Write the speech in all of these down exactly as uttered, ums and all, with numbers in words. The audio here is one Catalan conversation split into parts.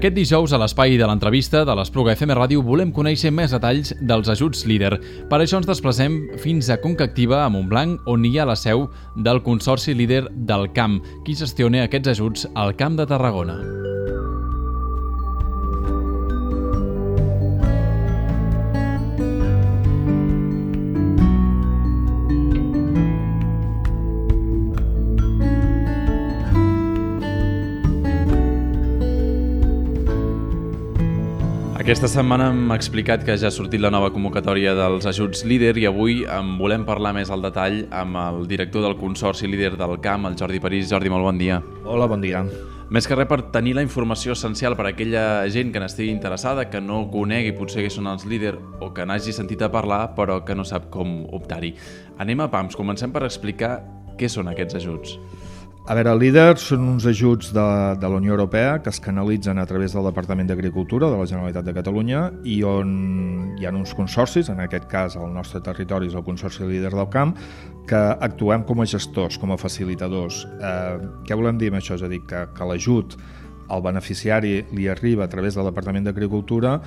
Aquest dijous, a l'espai de l'entrevista de l'Espluga F M Ràdio, volem conèixer més detalls dels ajuts líder. Per això ens desplacem fins a Conca Activa, a Montblanc, on hi ha la seu del Consorci Líder del Camp, qui gestiona aquests ajuts al Camp de Tarragona. Aquesta setmana hem explicat que ja ha sortit la nova convocatòria dels ajuts líder i avui en volem parlar més al detall amb el director del Consorci Líder del Camp, el Jordi París. Jordi, molt bon dia. Hola, bon dia. Més que res per tenir la informació essencial per a aquella gent que n'estigui interessada, que no conegui potser què són els líder o que n'hagi sentit a parlar però que no sap com optar-hi. Anem a pams, comencem per explicar què són aquests ajuts. A veure, el líder són uns ajuts de, de la Unió Europea que es canalitzen a través del Departament d'Agricultura de la Generalitat de Catalunya i on hi ha uns consorcis, en aquest cas el nostre territori és el Consorci Líder del Camp, que actuem com a gestors, com a facilitadors. Eh, què volem dir amb això? És a dir, que, que l'ajut al beneficiari li arriba a través del Departament d'Agricultura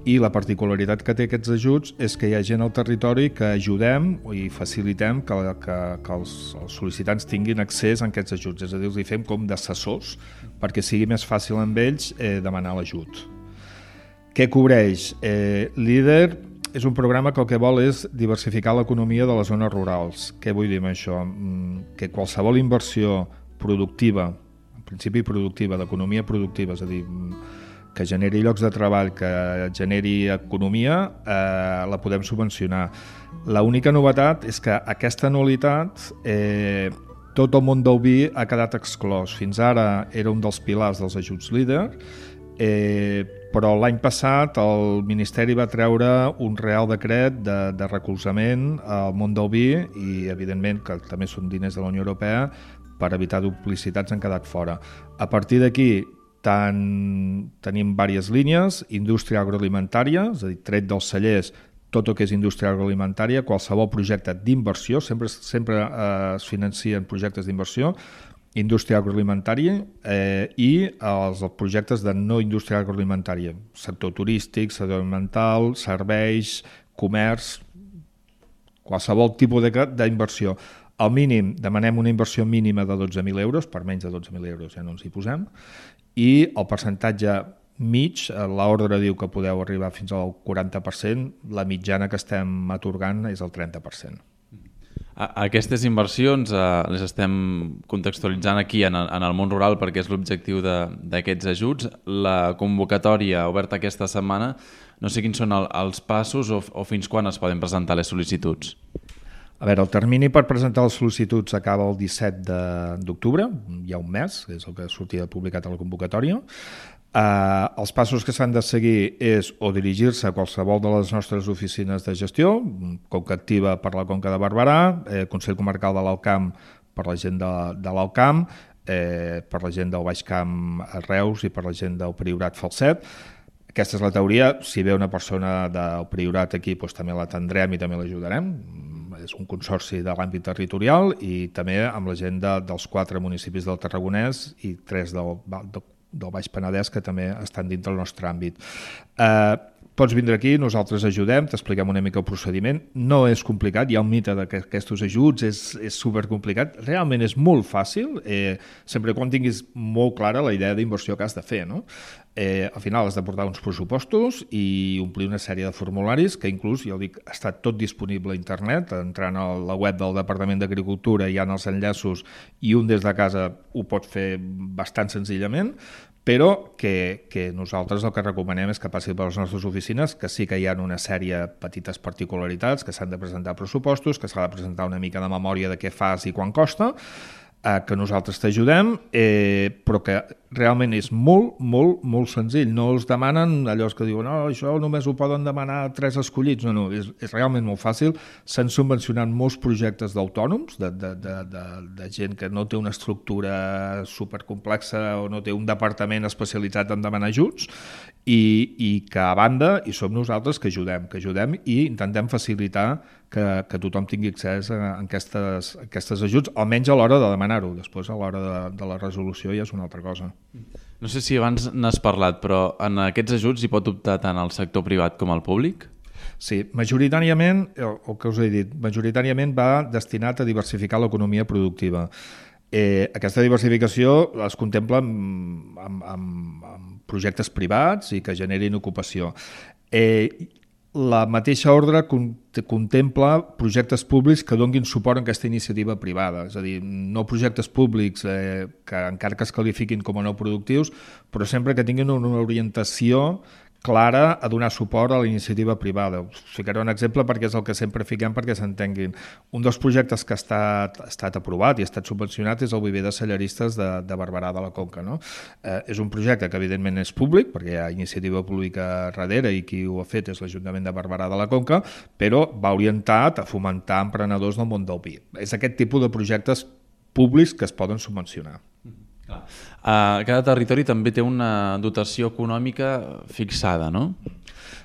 i la particularitat que té aquests ajuts és que hi ha gent al territori que ajudem i facilitem que, que, que els, els sol·licitants tinguin accés a aquests ajuts, és a dir, els hi fem com d'assessors perquè sigui més fàcil amb ells eh, demanar l'ajut. Què cobreix? Eh, Líder és un programa que el que vol és diversificar l'economia de les zones rurals. Què vull dir amb això? Que qualsevol inversió productiva, en principi productiva, d'economia productiva, és a dir, que generi llocs de treball, que generi economia, eh, la podem subvencionar. L'única novetat és que aquesta anualitat, eh, tot el món del vi ha quedat exclòs. Fins ara era un dels pilars dels ajuts líder, eh, però l'any passat el Ministeri va treure un Real Decret de, de recolzament al món del vi i, evidentment, que també són diners de la Unió Europea, per evitar duplicitats han quedat fora. A partir d'aquí, Tant, tenim diverses línies, indústria agroalimentària, és a dir, tret dels cellers, tot el que és indústria agroalimentària, qualsevol projecte d'inversió, sempre, sempre eh, es financien projectes d'inversió, indústria agroalimentària eh, i els, els projectes de no indústria agroalimentària, sector turístic, sector ambiental, serveis, comerç, qualsevol tipus d'inversió. Al mínim demanem una inversió mínima de dotze mil euros, per menys de dotze mil euros ja no ens hi posem, i el percentatge mig, l'ordre diu que podeu arribar fins al quaranta per cent, la mitjana que estem atorgant és el trenta per cent. Aquestes inversions eh, les estem contextualitzant aquí en el, en el món rural perquè és l'objectiu d'aquests ajuts. La convocatòria oberta aquesta setmana, no sé quins són el, els passos o, o fins quan es poden presentar les sol·licituds. A veure, el termini per presentar les sol·licituds acaba el disset d'octubre, hi ha un mes, és el que sortia publicat a la convocatòria. Eh, els passos que s'han de seguir és o dirigir-se a qualsevol de les nostres oficines de gestió, Conca Activa per la Conca de Barberà, eh, Consell Comarcal de l'Alt Camp per la gent de, de l'Alt Camp, eh, per la gent del Baix Camp a Reus i per la gent del Priorat Falset. Aquesta és la teoria. Si ve una persona del Priorat aquí, doncs també l'atendrem i també l'ajudarem. És un consorci de l'àmbit territorial i també amb la gent de, dels quatre municipis del Tarragonès i tres del, del, del Baix Penedès que també estan dintre del nostre àmbit. Eh, pots vindre aquí, nosaltres ajudem, t'expliquem una mica el procediment. No és complicat, hi ha un mite de que aquests ajuts és, és supercomplicat. Realment és molt fàcil, eh, sempre quan tinguis molt clara la idea d'inversió que has de fer, no? Eh, al final has de portar uns pressupostos i omplir una sèrie de formularis que inclús, ja ho dic, està tot disponible a internet, entrant a la web del Departament d'Agricultura hi ha els enllaços i un des de casa ho pot fer bastant senzillament, però que, que nosaltres el que recomanem és que passi per les nostres oficines, que sí que hi ha una sèrie de petites particularitats, que s'han de presentar pressupostos, que s'ha de presentar una mica de memòria de què fas i quan costa, eh, que nosaltres t'ajudem, eh, però que realment és molt, molt, molt senzill. No els demanen allò que diuen no, això només ho poden demanar tres escollits. No, no, és, és realment molt fàcil. S'han subvencionat molts projectes d'autònoms, de, de, de, de, de gent que no té una estructura supercomplexa o no té un departament especialitzat en demanar ajuts i, i que a banda hi som nosaltres que ajudem, que ajudem i intentem facilitar que, que tothom tingui accés a aquestes, a aquestes ajuts, almenys a l'hora de demanar-ho. Després, a l'hora de, de la resolució ja és una altra cosa. No sé si abans n'has parlat, però en aquests ajuts hi pot optar tant el sector privat com el públic? Sí, majoritàriament, el que us he dit, majoritàriament va destinat a diversificar l'economia productiva. Eh, aquesta diversificació es contempla amb, amb, amb, amb projectes privats i que generin ocupació. Eh, la mateixa ordre contempla projectes públics que donguin suport a aquesta iniciativa privada, és a dir, no projectes públics eh, que encara que es qualifiquin com a no productius, però sempre que tinguin una orientació clara a donar suport a la iniciativa privada. Us ficaré un exemple perquè és el que sempre fiquem perquè s'entenguin. Un dels projectes que ha estat, ha estat aprovat i ha estat subvencionat és el viver de cellaristes de, de Barberà de la Conca. No? Eh, és un projecte que evidentment és públic perquè hi ha iniciativa pública darrere i qui ho ha fet és l'Ajuntament de Barberà de la Conca, però va orientat a fomentar emprenedors del món del vi. És aquest tipus de projectes públics que es poden subvencionar. Uh, cada territori també té una dotació econòmica fixada, no?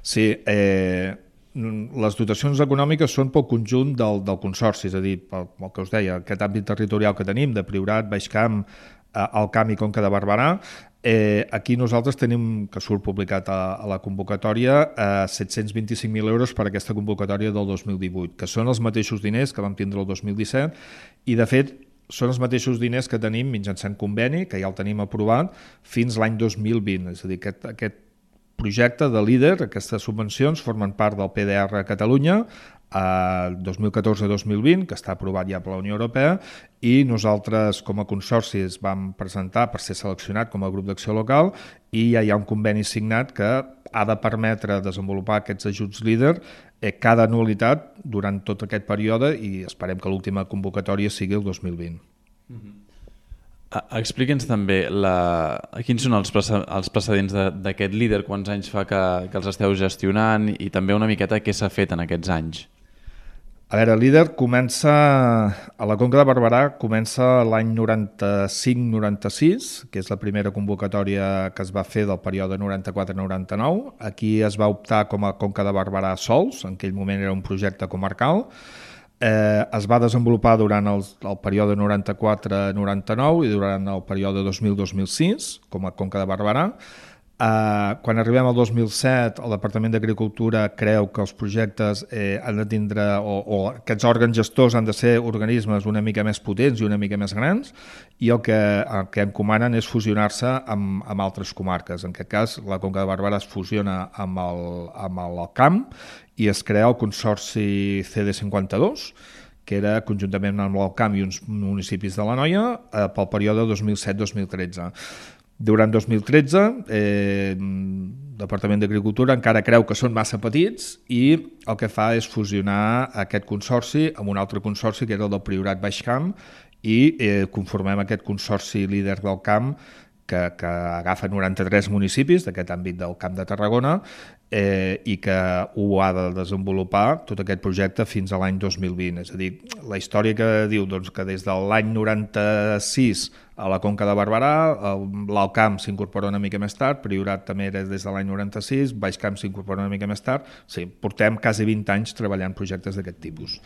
Sí, eh, les dotacions econòmiques són pel conjunt del, del consorci, és a dir, pel, pel que us deia, aquest àmbit territorial que tenim de Priorat, Baixcamp, Alt Camp i Conca de Barberà. Eh, aquí nosaltres tenim, que surt publicat a, a la convocatòria, eh, set-cents vint-i-cinc mil euros per a aquesta convocatòria del dos mil divuit, que són els mateixos diners que vam tindre el dos mil disset i, de fet, són els mateixos diners que tenim mitjançant conveni, que ja el tenim aprovat, fins l'any dos mil vint. És a dir, aquest, aquest projecte de líder, aquestes subvencions, formen part del P D R a Catalunya, a dos mil catorze dos mil vint, que està aprovat ja per la Unió Europea, i nosaltres com a consorci es vam presentar per ser seleccionat com a grup d'acció local i ja hi ha un conveni signat que ha de permetre desenvolupar aquests ajuts líder eh, cada anualitat durant tot aquest període i esperem que l'última convocatòria sigui el dos mil vint. Mm-hmm. Explica'ns també la... quins són els, els precedents d'aquest líder, quants anys fa que, que els esteu gestionant i també una miqueta què s'ha fet en aquests anys. A veure, el líder comença, a la Conca de Barberà comença l'any noranta-cinc noranta-sis, que és la primera convocatòria que es va fer del període noranta-quatre noranta-nou. Aquí es va optar com a Conca de Barberà sols, en aquell moment era un projecte comarcal. Eh, es va desenvolupar durant el, el període noranta-quatre noranta-nou i durant el període dos mil dos mil sis com a Conca de Barberà. Eh, quan arribem al dos mil set, el Departament d'Agricultura creu que els projectes eh, han de tindre, o, o aquests òrgans gestors han de ser organismes una mica més potents i una mica més grans, i el que, el que encomanen és fusionar-se amb, amb altres comarques. En aquest cas, la Conca de Barberà es fusiona amb el, amb el Camp i es crea el Consorci C D cinquanta-dos, que era conjuntament amb el Camp i uns municipis de l'Anoia eh, pel període dos mil set dos mil tretze. Durant dos mil tretze, eh, el Departament d'Agricultura encara creu que són massa petits i el que fa és fusionar aquest consorci amb un altre consorci que era el del Priorat Baixcamp i eh, conformem aquest consorci líder del camp que, que agafa noranta-tres municipis d'aquest àmbit del Camp de Tarragona eh, i que ho ha de desenvolupar tot aquest projecte fins a l'any dos mil vint. És a dir, la història que diu doncs, que des de l'any noranta-sis a la Conca de Barberà, l'Alt Camp s'incorpora una mica més tard, Priorat també era des de l'any noranta-sis, Baixcamp s'incorpora una mica més tard. Sí, portem quasi vint anys treballant projectes d'aquest tipus.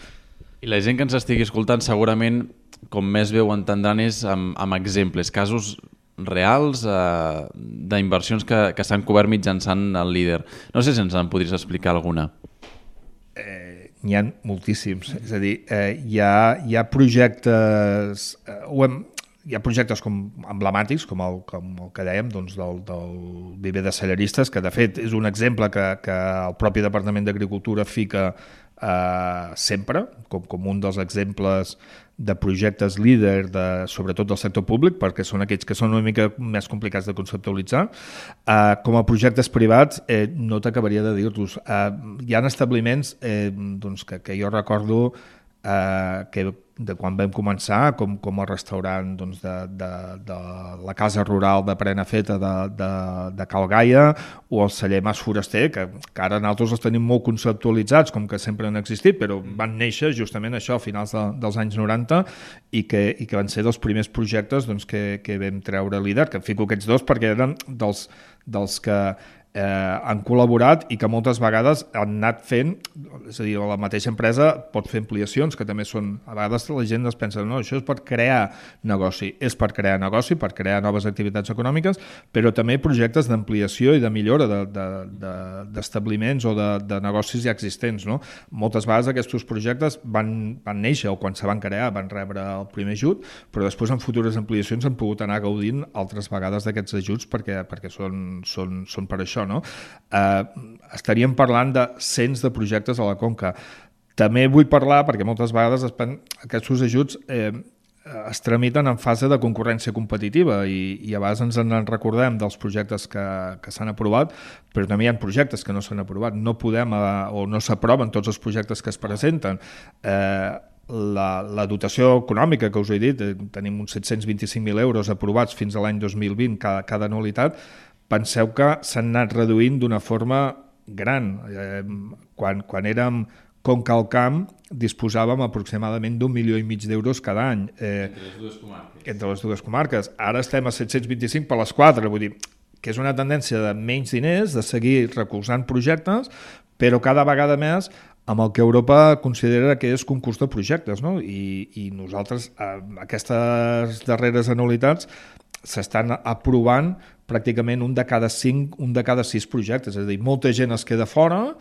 I la gent que ens estigui escoltant segurament, com més bé ho entendran, és amb, amb exemples, casos reals eh, d'inversions que, que s'han cobert mitjançant el líder. No sé si ens en podries explicar alguna. Eh, n'hi ha moltíssims. És a dir, eh, hi, ha, hi ha projectes... Eh, ho hem, hi ha projectes com emblemàtics, com el, com el que dèiem, doncs del, del viver de cellaristes, que de fet és un exemple que, que el propi Departament d'Agricultura fica eh, sempre, com, com un dels exemples de projectes líder, de, sobretot del sector públic, perquè són aquells que són una mica més complicats de conceptualitzar. Eh, com a projectes privats, eh, no t'acabaria de dir-los. Eh, hi ha establiments eh, doncs que, que jo recordo eh, que de quan vam començar, com, com el restaurant doncs, de, de, de la casa rural de Prenafeta de, de, de Cal Gaia o el celler Mas Foraster, que, que ara nosaltres els tenim molt conceptualitzats, com que sempre han existit, però van néixer justament això a finals de, dels anys noranta i que, i que van ser dels primers projectes doncs, que, que vam treure líder, que em fico aquests dos perquè eren dels, dels que Eh, han col·laborat i que moltes vegades han anat fent és a dir, la mateixa empresa pot fer ampliacions, que també són, a vegades la gent es pensa, no, això és per crear negoci, és per crear negoci, per crear noves activitats econòmiques, però també projectes d'ampliació i de millora d'establiments de, de, de, o de, de negocis ja existents, no? Moltes vegades aquests projectes van, van néixer o quan se van crear van rebre el primer ajut, però després en futures ampliacions han pogut anar gaudint altres vegades d'aquests ajuts perquè, perquè són, són, són per això, no? Eh, estaríem parlant de cents de projectes a la Conca. També vull parlar, perquè moltes vegades es pen... aquests ajuts eh, es tramiten en fase de concurrència competitiva i, i a vegades ens en recordem dels projectes que, que s'han aprovat, però també hi ha projectes que no s'han aprovat. No podem eh, o no s'aproven tots els projectes que es presenten. Eh, la, la dotació econòmica que us he dit, eh, tenim uns set-cents vint-i-cinc mil euros aprovats fins a l'any dos mil vint cada, cada anualitat. Penseu que s'han anat reduint d'una forma gran. Eh, quan, quan érem Concalcam disposàvem aproximadament d'un milió i mig d'euros cada any. Eh, entre les dues comarques. Entre les dues comarques. Ara estem a set-cents vint-i-cinc per les quatre, vull dir que és una tendència de menys diners, de seguir recolzant projectes, però cada vegada més amb el que Europa considera que és concurs de projectes, no? I, i nosaltres, eh, aquestes darreres anualitats, s'estan aprovant pràcticament un de cada cinc, un de cada sis projectes. És a dir, molta gent es queda fora,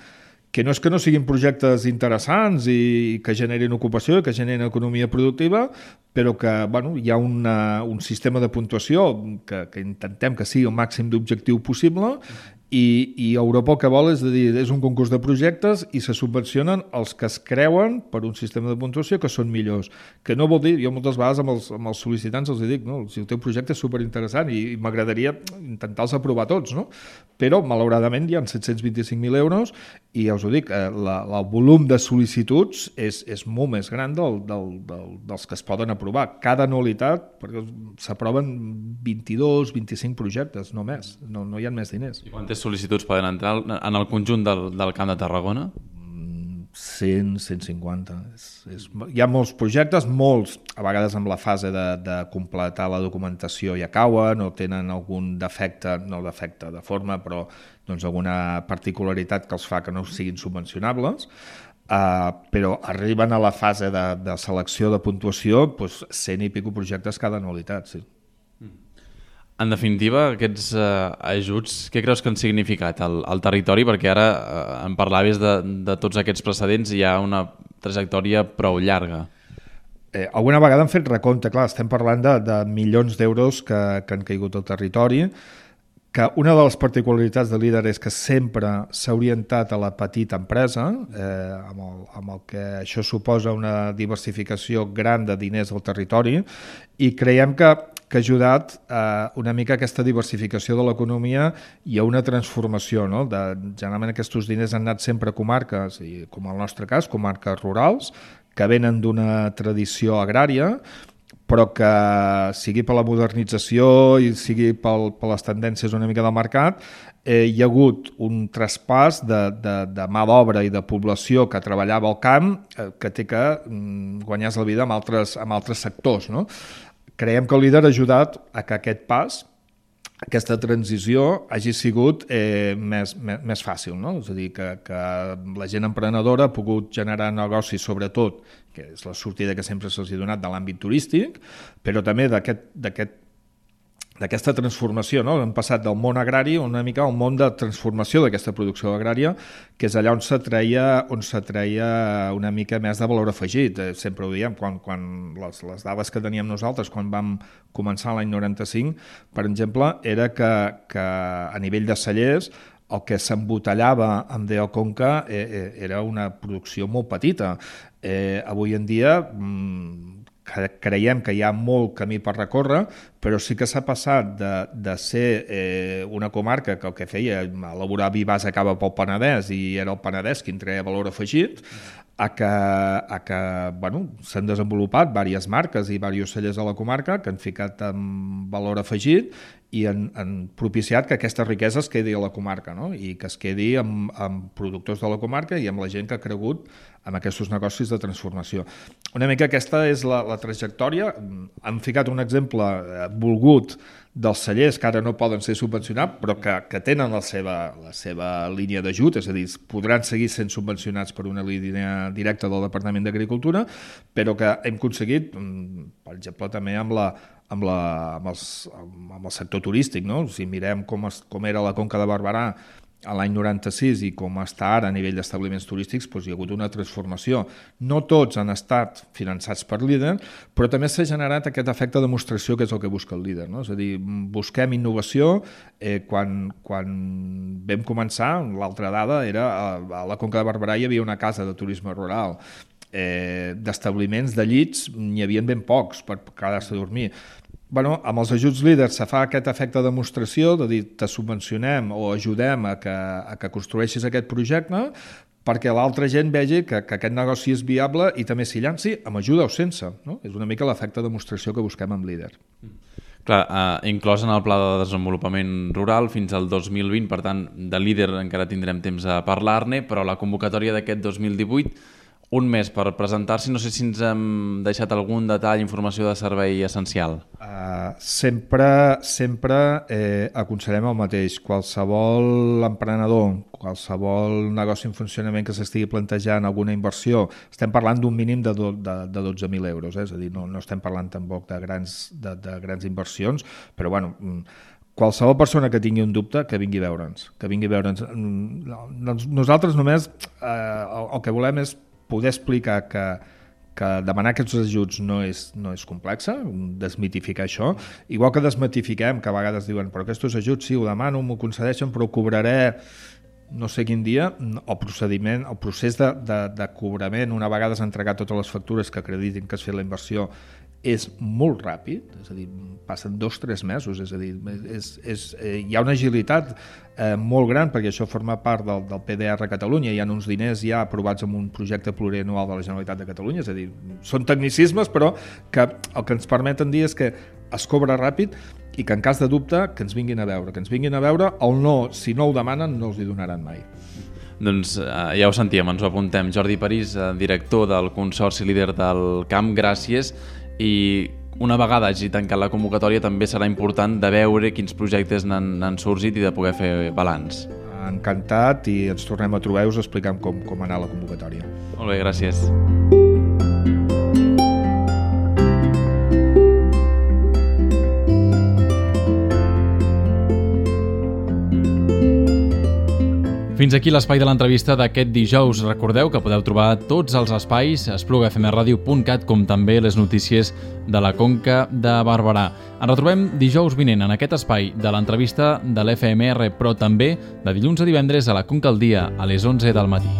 que no és que no siguin projectes interessants i que generin ocupació, que generin economia productiva, però que bueno, hi ha una, un sistema de puntuació que, que intentem que sigui el màxim d'objectiu possible i, i Europa el que vol és, dir, és un concurs de projectes i se subvencionen els que es creuen per un sistema de puntuació que són millors. Que no vol dir, jo moltes vegades amb els, amb els sol·licitants els dic, no, si el teu projecte és superinteressant i, i m'agradaria intentar-los aprovar tots, no? Però malauradament hi ha set-cents vint-i-cinc mil euros i ja us ho dic, eh, la, el volum de sol·licituds és, és molt més gran del, del, del, dels que es poden aprovar. Cada anualitat, perquè s'aproven vint-i-dos, vint-i-cinc projectes, no més, no, no hi ha més diners. I quantes sol·licituds poden entrar en el conjunt del, del Camp de Tarragona? cent, cent cinquanta. És, és, hi ha molts projectes, molts, a vegades amb la fase de, de completar la documentació ja cauen o tenen algun defecte, no defecte de forma, però doncs, alguna particularitat que els fa que no siguin subvencionables. Uh, però arriben a la fase de, de selecció de puntuació doncs, cent i pico projectes cada anualitat, sí. En definitiva, aquests eh, ajuts, què creus que han significat al, al territori? Perquè ara eh, em parlaves de, de tots aquests precedents i hi ha una trajectòria prou llarga. Eh, alguna vegada hem fet recompte, clar, estem parlant de, de milions d'euros que, que han caigut al territori, que una de les particularitats de Líder és que sempre s'ha orientat a la petita empresa, eh, amb, el, amb el que això suposa una diversificació gran de diners al territori, i creiem que, que ha ajudat eh, una mica a aquesta diversificació de l'economia i a una transformació, no? De, generalment aquests diners han anat sempre a comarques, i, com el nostre cas, comarques rurals, que venen d'una tradició agrària, però que sigui per la modernització i sigui pel, per les tendències una mica del mercat, eh, hi ha hagut un traspàs de, de, de mà d'obra i de població que treballava al camp eh, que té que mm, guanyar-se la vida amb altres, amb altres sectors, no? Creiem que el Líder ha ajudat a que aquest pas, aquesta transició hagi sigut eh, més, més, més fàcil, no? És a dir, que, que la gent emprenedora ha pogut generar negocis, sobretot, que és la sortida que sempre se'ls ha donat de l'àmbit turístic, però també d'aquest d'aquest d'aquesta transformació, no? Hem passat del món agrari una mica al món de transformació d'aquesta producció agrària, que és allà on se treia, on se treia una mica més de valor afegit. Eh, sempre ho diem, quan, quan les, les dades que teníem nosaltres quan vam començar l'any noranta-cinc, per exemple, era que, que a nivell de cellers el que s'embotellava amb D O Conca eh, era una producció molt petita. Eh, avui en dia mmm, creiem que hi ha molt camí per recórrer, però sí que s'ha passat de, de ser eh, una comarca que el que feia elaborar vi base acaba pel Penedès i era el Penedès qui en treia valor afegit, a que, a que bueno, s'han desenvolupat diverses marques i diversos cellers a la comarca que han ficat en valor afegit i han, han propiciat que aquesta riquesa es quedi a la comarca, no? I que es quedi amb, amb productors de la comarca i amb la gent que ha cregut en aquests negocis de transformació. Una mica aquesta és la, la trajectòria. Hem ficat un exemple volgut dels cellers que ara no poden ser subvencionats, però que, que tenen la seva, la seva línia d'ajut, és a dir, podran seguir sent subvencionats per una línia directa del Departament d'Agricultura, però que hem aconseguit, per exemple, també amb la amb, la, amb, els, amb el sector turístic, no? Si mirem com, es, com era la Conca de Barberà a l'any noranta-sis i com està ara a nivell d'establiments turístics, doncs hi ha hagut una transformació. No tots han estat finançats per líder, però també s'ha generat aquest efecte de demostració que és el que busca el líder, no? És a dir, busquem innovació. Eh, quan, quan vam començar, l'altra dada era a, a la Conca de Barberà hi havia una casa de turisme rural. Eh, d'establiments de llits n'hi havia ben pocs per quedar-se a dormir. Bueno, amb els ajuts líders se fa aquest efecte de demostració, de dir, te subvencionem o ajudem a que, a que construeixis aquest projecte perquè l'altra gent vegi que, que aquest negoci és viable i també s'hi llanci amb ajuda o sense, no? És una mica l'efecte de demostració que busquem amb líder. Clar, eh, inclòs en el Pla de Desenvolupament Rural fins al dos mil vint, per tant, de líder encara tindrem temps a parlar-ne, però la convocatòria d'aquest dos mil divuit, un mes per presentar-s'hi, no sé si ens hem deixat algun detall, informació de servei essencial. Uh, sempre sempre eh, aconsellem el mateix. Qualsevol emprenedor, qualsevol negoci en funcionament que s'estigui plantejant alguna inversió, estem parlant d'un mínim de, do, de, de dotze mil euros, eh? És a dir, no, no estem parlant tampoc de grans, de, de grans inversions, però bueno, qualsevol persona que tingui un dubte, que vingui a veure'ns, que vingui a veure'ns. Nosaltres només eh, el, el que volem és poder explicar que, que demanar aquests ajuts no és, no és complexa, desmitificar això, igual que desmitifiquem, que a vegades diuen però aquests ajuts sí, ho demano, m'ho concedeixen, però ho cobraré no sé quin dia. El procediment, el procés de, de, de cobrament, una vegada s'han entregat totes les factures que acreditin que has fet la inversió, és molt ràpid, és a dir, passen dos o tres mesos, és a dir, és, és, eh, hi ha una agilitat eh, molt gran, perquè això forma part del, del P D R a Catalunya, hi ha uns diners ja aprovats en un projecte plurianual de la Generalitat de Catalunya, és a dir, són tecnicismes, però que el que ens permeten dir és que es cobra ràpid i que en cas de dubte que ens vinguin a veure, que ens vinguin a veure, el no, si no ho demanen, no els hi donaran mai. Doncs eh, ja ho sentíem, ens ho apuntem. Jordi París, eh, director del Consorci Líder del Camp, gràcies. I una vegada hagi tancat la convocatòria també serà important de veure quins projectes n'han sorgit i de poder fer balanç. Encantat, i ens tornem a trobar i us expliquem com, com anar la convocatòria. Molt bé, gràcies. Fins aquí l'espai de l'entrevista d'aquest dijous. Recordeu que podeu trobar tots els espais a espluga f m radio punt cat, com també les notícies de la Conca de Barberà. Ens retrobem dijous vinent en aquest espai de l'entrevista de l'F M R, però també de dilluns a divendres a la Conca al dia, a les onze del matí.